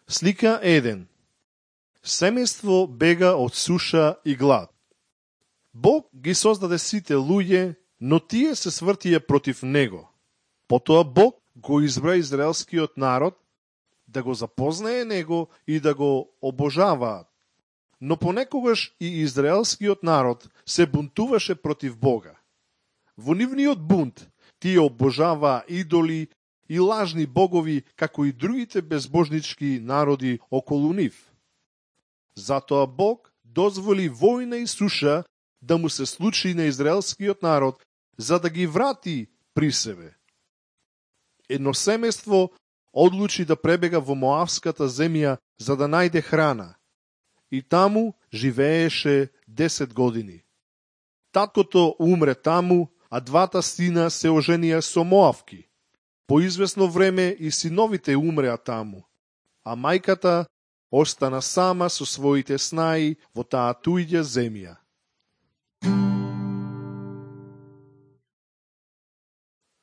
Слика 1. Семејство бега од суша и глад. Бог ги создаде сите луѓе, но тие се свртија против него. Потоа Бог го избра израелскиот народ да го запознае него и да го обожаваат. Но понекогаш и израелскиот народ се бунтуваше против Бога. Во нивниот бунт тие обожаваа идоли и лажни богови, како и другите безбожнички народи околу нив. Затоа Бог дозволи војна и суша да му се случи на израелскиот народ, за да ги врати при себе. Едно семејство одлучи да пребега во Моавската земја за да најде храна. И таму живееше 10 години. Таткото умре таму, а двата сина се оженија со Моавки. По извесно време и синовите умреа таму, а мајката остана сама со своите снаи во таа туѓа земја.